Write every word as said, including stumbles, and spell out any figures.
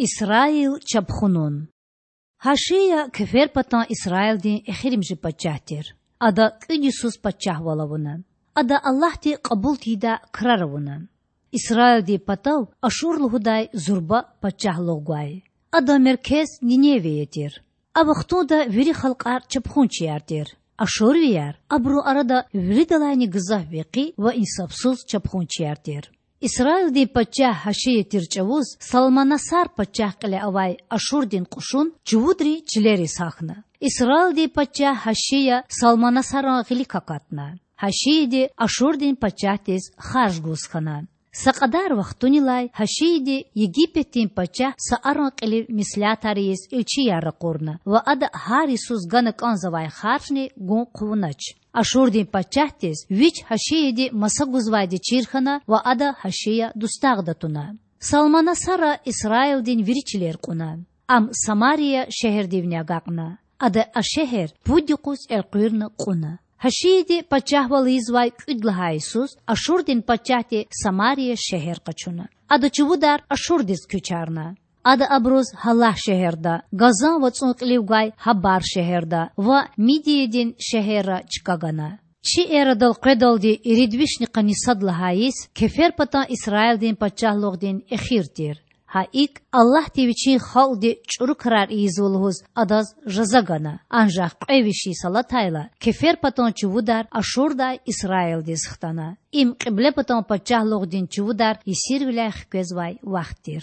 Исраил чапхунун. Гьашия кеферпатан Исраилдин эхиримжи пачагь тир. Ада кӀуьд йисуз пачагьвал авуна. Ада Аллагьди кьабул тийидай крар авуна. Исраилдин патав Ашур лугьудай зурба пачагьлугъ гвай. Адан меркез Ниневия тир. А вахтунда вири халкьар чапхунчияр тир. Ашурвияр абурун арада виридалайни гзаф векъи ва инсафсуз чапхунчияр тир. Исраилдин пачагь Гьашия тир чӀавуз Салманасар пачагь кьиле авай Ашурдин кьушун чувудрин чилериз гьахьна. Исраилдин пачагь Гьашия Салманасаран гъилик акатна. Гьашияди Ашурдин пачагьдиз харж гуз хьана. Са кьадар вахтунилай Гьашияди Египетдин пачагь Сааран кьилив меслятар ийиз илчияр ракъурна ва ада гьар йисуз гана кӀанзавай харжни гун хъувунач. Ашурдин пачагьдиз вич Гьашияди маса гузвайди чир хьана ва ада Гьашия дустагъда туна. Салманасара Исраилдин вири чилер кьуна. Ам Самария шегьердивни агакьна. Ада а шегьер пуд юкъуз элкъуьрна кьуна. Гьашияди пачагьвал ийизвай кӀуьд лагьай йисуз Ашурдин пачагьди Самария шегьер къачуна. Ада чувудар Ашурдиз куьчарна. Ада абуруз Гьалагь шегьерда, Газан вацӀун кьилив гвай Гьабар шегьерда ва Мидиядин шегьерра чка гана. Чи эрадал къведалди ирид вишни къанни сад лагьай йис кеферпатан Исраилдин пачагьлугъдин эхир тир. Гьа икӀ, Аллагьди Вичин халкьди чӀуру крар ийизва лугьуз адаз жаза гана. Анжах кьве виш йис алатайла, кеферпатан чувудар Ашурдай Исраилдиз хтана. Им Кьиблепатан пачагьлугъдин чувудар есирвиляй хквезвай вахт тир.